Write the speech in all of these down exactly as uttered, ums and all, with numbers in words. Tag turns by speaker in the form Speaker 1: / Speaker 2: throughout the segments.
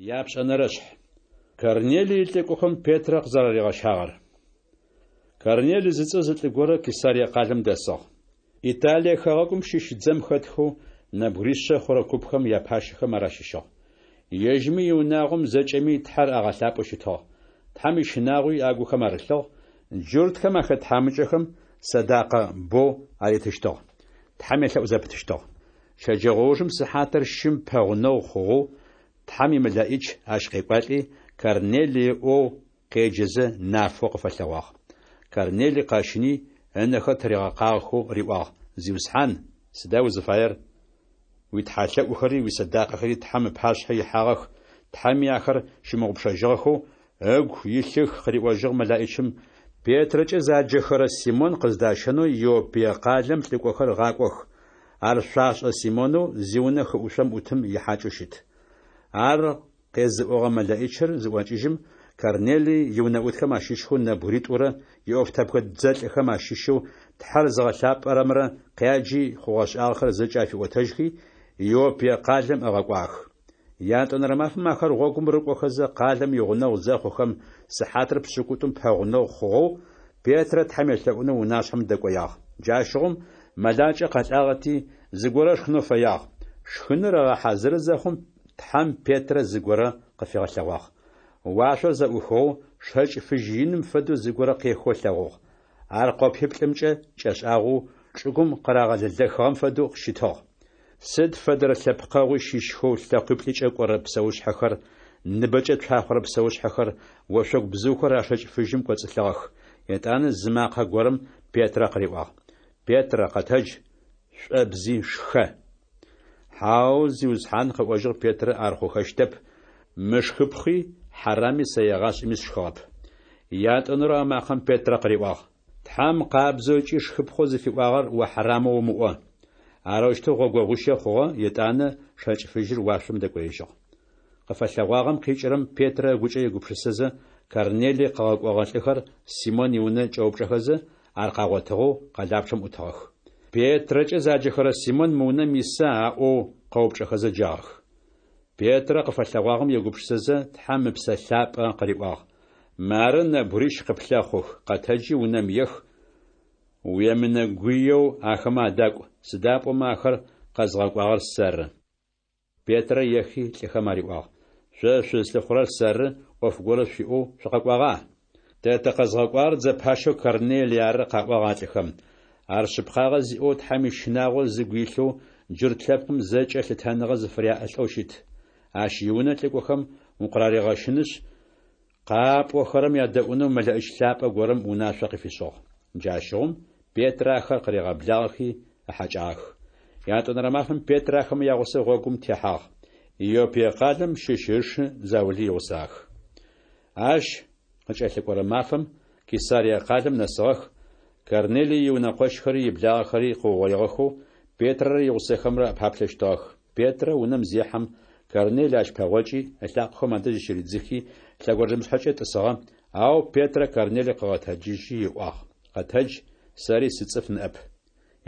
Speaker 1: Япшӏэнэрэшъхь. Корнелий илӏыкӏохэм Петрэ къызэраригъэщагъэр. Корнелий зыцӏэ зы лӏы горэ Кесарие къалэм дэсыгъ. Италие хэгъэгум щыщ дзэм хэтхэу нэбгыришъэ хъурэ купхэм япащэхэм ар ащыщыгъ. Ежьыми иунагъом зэкӏэми Тхьэр агъэлъапӏэу щытыгъ. Тхьэм ищынагъуи агухэм арылъыгъ, джуртхэм ахэт тхьамыкӏэхэм сэдакъэ бэу аритыщтыгъ. Тхьэм елъэӏу зэпытыщтыгъ. Щэджэгъоужым сыхьатыр щым пэгъунэгъу хъугъэу Тхьэм имэлэӀич ащ къекӀуалӀи, Корнелый ыӀоу къеджэзэ, нафэу къыфэлъэгъуагъ. Корнелый къэщыни, ынэхэр тыригъэкъагъэхэу риӀуагъ: Зиусхьан, сыда узыфаер? УитхьалъэӀухэри уисэдакъэхэри Тхьэм ыпашъхьэ ихьагъэх, Тхьэми ахэр щымыгъупшэжьыгъэхэу ыгу илъых, къыриӀожьыгъ мэлэӀичым. Петрэкӏэ заджэхэрэ Симон къыздащэнэу Иоппие къалэм лӏыкӏохэр гъакӏох. Ар шъуашӏэ Симонэу зиунэ хыӏушъом ӏутым ихьакӏэу щыт. Ар къезыӏогъэ мэлэӀичыр зыӏокӏыжьым, Корнелый иунэӏутхэм ащыщхэу нэбгыритӏурэ иӏофтэбгэ дзэлӏхэм ащыщэу Тхьэр зыгъэлъапӏэрэмрэ къяджи, хъугъэ-шӏагъэхэр зэкӏэ афиӏотэжьхи, Иоппие къалэм ыгъэкӏуагъэх. Ятӏонэрэ мафэм ахэр гъогум рыкӏохэзэ, къалэм игъунэгъу зэхъухэм, сыхьатыр пшӏыкӏутӏум пэгъунэгъу хъугъэу, Петрэ Тхьэм елъэӏунэу унашъхьэм дэкӏоягъ. Джащыгъум мэлакӏэ къэлӏагъэти, зыгорэ ышхынэу фэягъ. Шхыныр ыгъэхьазыры зэхъум, Тхьэм Петрэ зыгорэ къыфигъэлъэгъуагъ. Уашъор зэӏухыгъэу, шэкӏ фыжь иным фэдэу зыгорэ къехэу ылъэгъугъ. Ар къопиплӏымкӏэ кӏэшӏагъэу, чӏыгум къырагъэлэлэхыгъэм фэдэу щытыгъ. Сыд фэдэрэ лъэпкъэгъуи щыщхэу лъэкъуиплӏыкӏэ кӏорэ псэушъхьэхэр, ныбэкӏэ цуахъорэ псэушъхьэхэр, ошъогу бзыухэр а шэкӏ фыжьым кӏоцӏылъыгъэх. Етӏанэ зы макъэ горэм Петрэ къыриӏуагъ: Петрэ, къэтэдж, шӏобзи, шхэ. Хьау, Зиусхьан, къыӏожьыгъ Петрэ, ар хъухэщтэп, мышхыпхъи хьарами сэ егъашӏэми сшхыгъэп. Ятӏонэрэу а макъэм Петрэ къыриӏуагъ: Тхьэм къабзэу ыкӏи шхыпхъэу зыфиӏуагъэр о хьарамэу умыӏо. Арэущтэу гъогогъуищэ хъугъэ, етӏанэ шэкӏ фыжьыр уашъом дэкӏоежьыгъ. Къыфэлъэгъуагъэм къикӏырэм Петрэ ыгукӏэ егупшысэзэ, Корнелый къыгъэкӏогъэ лӏыхэр Симон иунэ кӏэупчӏэхэзэ, ар къагъотыгъэу къэлапчъэм ӏутыгъэх. Петрэкӏэ заджэхэрэ Симон мы унэм иса аӏоу къэупчӏэхэзэ джагъэх. Петрэ къыфэлъэгъуагъэм егупшысэзэ, Тхьэм Ыпсэ Лъапӏэ къыриӏуагъ: Мары нэбгырищ къыплъэхъух, къэтэджи унэм ех, уемынэгуеу ахэмэ адакӏу, сыда пӏомэ ахэр къэзгъэкӏуагъэр сэры. Петрэ ехи лӏыхэм ариӏуагъ: Шъо шъузлъыхъурэр сэры, ӏоф горэ шъуиӏэу шъукъэкӏуагъа? Тэ тыкъэзгъэкӏуагъэр дзэ пащэу Корнелый ары, къаӏуагъ а лӏыхэм. Ар шъыпкъагъэ зиӏэу Тхьэм ищынагъо зыгу илъэу джурт лъэпкъым зэкӏэ лъытэныгъэ зыфыряӏэ лӏэу щыт. Ащ иунэ лӏыкӏохэм укъыраригъэщынышъ, къапӏохэрэм ядэӏунэу мэлэӏич лъапӏэ горэм унашъо къыфишӏыгъ. Джащыгъум Петрэ ахэр къыригъэблагъэхи ыхьакӏагъэх. Ятӏонэрэ мафэм Петрэ ахэмэ ягъусэу гъогум техьагъ. Иоппие къалэм щыщ ышы заули игъусагъэх. Ащ къыкӏэлъыкӏорэ мафэм Кесарие къалэм нэсыгъэх, Корнелый иунэкъощхэри иблагъэхэри къыугъоигъэхэу Петрэрэ игъусэхэмрэ паплъэщтыгъэх. Петрэ унэм зехьэм, Корнелый ащ пэгъокӏи, ылъакъохэм адэжь зыщыридзыхи, лъэгонджэмышъхьэкӏэ тӏысыгъэ, ау Петрэ Корнелый къыгъэтэджыжьи ыӏуагъ: Къэтэдж, сэри сыцӏыф ныӏэп.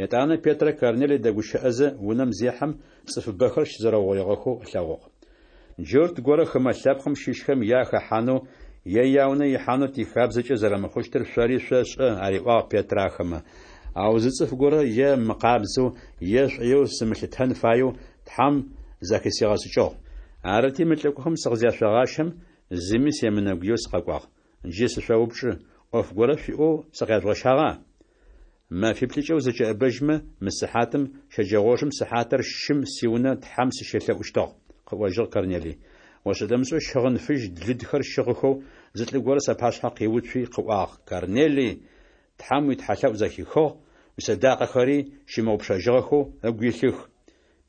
Speaker 1: Етӏанэ Петрэ Корнелый дэгущыӏэзэ унэм зехьэм, цӏыфыбэхэр щызэрэугъоигъэхэу ылъэгъугъ. Джурт горэ хымэ лъэпкъым щыщхэм я хэхьанэу е яунэ ихьанэу тихабзэкӏэ зэрэмыхъущтыр шъори шъошӏэ, ариӏуагъ Петрэ ахэмэ. Ау зы цӏыф горэ е мыкъабзэу, е шӏоеу сымылъытэн фаеу Тхьэм зэхысигъэшӏыкӏыгъ. Арыти, мы лӏыкӏохэм сыкъызяшъогъащэм, зыми семынэгуеу сыкъэкӏуагъ. Джы сышъоупчӏы, ӏоф горэ шъуиӏэу сыкъяжъугъэщагъа? Мэфиплӏыкӏэ узэкӏэӏэбэжьмэ, мы сыхьатым, щэджэгъоужым сыхьатыр щым сиунэ Тхьэм сыщелъэӏущтыгъ, къыӏожьыгъ Корнелый. ОшӀэ-дэмышӀэу щыгъын фыжь лыдхэр щыгъыхэу зы лӏы горэ сапашъхьэ къиуцуи къыӏуагъ: Корнелый, Тхьэм уитхьалъэӏу зэхихыгъ, уисэдакъэхэри щымыгъупшэжьыгъэхэу ыгу илъых.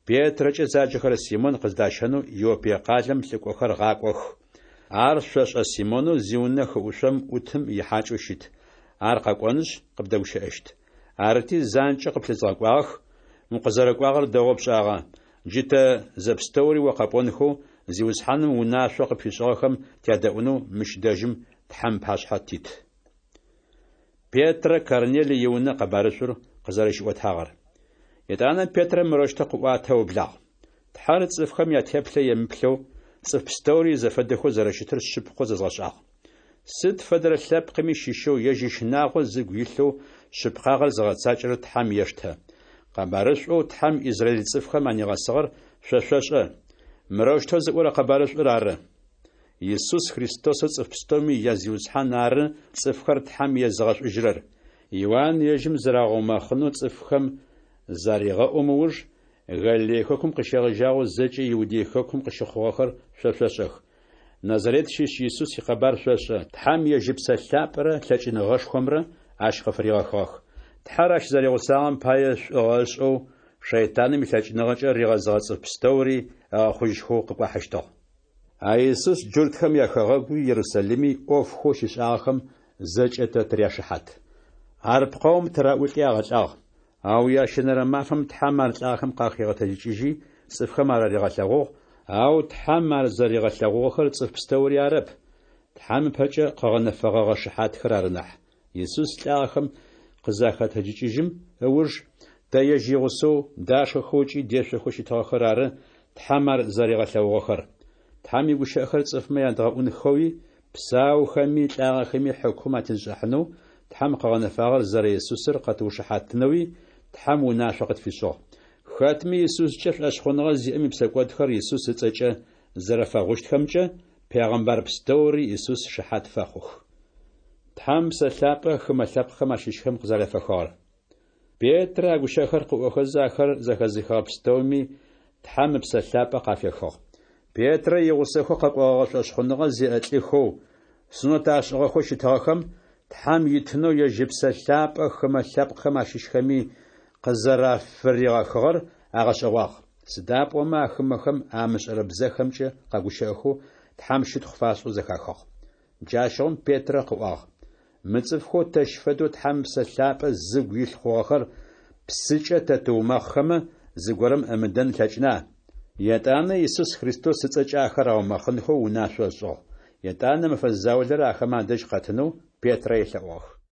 Speaker 1: Петрэкӏэ заджэхэрэ Симон къыздащэнэу Иоппие къалэм лӏыкӏохэр гъакӏох. Ар шъошӏэ Симонэу зиунэ хыӏушъом ӏутым ихьакӏэу щыт. Ар къэкӏонышъ къыбдэгущыӏэщт. Арыти, занкӏэу къыплъызгъэкӏуагъэх, укъызэрэкӏуагъэр дэгъоу пшӏагъэ. Джы тэ зэпстэури о къэпӏонхэу, Зиусхьаным унашъоу къыпфишӏыгъэхэм тядэӏунэу мыщ дэжьым Тхьэм ыпашъхьэ тит. Петрэ Корнелый иунэ къэбарышӏур къызэрэщиӏотагъэр. Етӏанэ Петрэ мырэущтэу къыӏуатэу ыублагъ: Тхьэр цӏыфхэм ятеплъэ емыплъэу, цӏыф пстэури изэфэдэхэу зэрэщытыр шъыпкъэу зэзгъэшӏагъ. Сыд фэдэрэ лъэпкъыми щыщэу ежь ищынагъо зыгу илъэу шъыпкъагъэр зыгъэцакӏэрэр Тхьэм ештэ. Къэбарышӏоу Тхьэм израиль цӏыфхэм анигъэсыгъэр шъо шъошӏэ. Мырэущтэу зыӏорэ къэбарышӏур ары: Исус Христосэу цӏыф пстэуми я Зиусхьан ары цӏыфхэр Тхьэм езыгъэшӏужьырэр. Иуан ежьым зырагъэумэхъынэу цӏыфхэм зарегъэӏум ыуж, Галилей хэкум къыщегъэжьагъэу зэкӏэ Иудей хэкум къыщыхъугъэхэр шъо шъошӏэх. Назарет щыщ Исус икъэбар шъошӏэ, Тхьэм ежь Ыпсэ Лъапӏэрэ лъэкӏыныгъэшхомрэ ащ къыфыригъэхыгъэх. Тхьэр ащ зэригъусагъэм пае, шӏугъэ ышӏэу, шэйтаным илъэкӏыныгъэкӏэ ригъэзыгъэ цӏыф пстэури ыгъэхъужьхэу къыкӏуахьыщтыгъ. А Исус джуртхэм яхэгъэгуи Ерусалими ӏофхэу щишӏагъэхэм зэкӏэ тэ тыряшыхьат. Ар пкъэум тыраӏулӏи агъэлӏагъ, ау ящэнэрэ мафэм Тхьэм ар лӏагъэхэм къахигъэтэджыкӏыжьи, цӏыфхэм араригъэлъэгъугъ, ау Тхьэм ар зэригъэлъэгъугъэхэр цӏыф пстэури арэп, Тхьэм ыпэкӏэ къыгъэнэфэгъэгъэ шыхьатхэр ары нахь. Исус лӏагъэхэм къызахэтэджыкӏыжьым ыуж, тэ ежь игъусэу дашхэхэу ыкӏи дешъохэу щытыгъэхэр ары Тхьэм ар зэригъэлъэгъугъэхэр. Тхьэм игущыӏэхэр цӏыфмэ ядгъэӏунхэуи, псаухэми лӏагъэхэми хьыкум атетшӏыхьанэу Тхьэм къыгъэнэфагъэр зэрэ Исусыр къэтыушыхьатынэуи Тхьэм унашъо къытфишӏыгъ. Хэтми Исускӏэ шӏошъхъуныгъэ зиӏэм ипсэкӏодхэр Исус ыцӏэкӏэ зэрэфэгъущтхэмкӏэ пегъэмбар пстэури Исус шыхьат фэхъух. Тхьэм Псэ Лъапӏэ хымэ лъэпкъхэм ащыщхэм къызэрафехыгъэр. Петрэ а гущыӏэхэр къыӏохэзэ, ахэр зэхэзыхыгъэ пстэуми Тхьэм Ыпсэ Лъапӏэ къафехыгъ. Петрэ игъусэхэу къэкӏогъэгъэ шӏошъхъуныгъэ зиӏэ лӏыхэу, сунэт ашӏыгъэхэу щытыгъэхэм Тхьэм итынэу ежь Ыпсэ Лъапӏэ хымэ лъэпкъхэм ащыщхэми къызэрафыригъэхыгъэр агъэшӏэгъуагъ. Сыда пӏомэ а хымэхэм амышӏэрэ бзэхэмкӏэ къэгущыӏэхэу Тхьэм щытхъу фашӏэу зэхахыгъ. Джащыгъум Петрэ къыӏуагъ: Мы цӏыфхэу тэщ фэдэу Тхьэм Ыпсэ Лъапӏэ зыгу илъ хъугъэхэр псыкӏэ тэ тыумэхъхэмэ, зыгорэм ымыдэн ылъэкӏына? Етӏанэ Исус Христос ыцӏэкӏэ ахэр аумэхъынхэу унашъо ышӏыгъ. Етӏанэ мэфэ заулэрэ ахэмэ адэжь къэтынэу Петрэ елъэӏугъэх.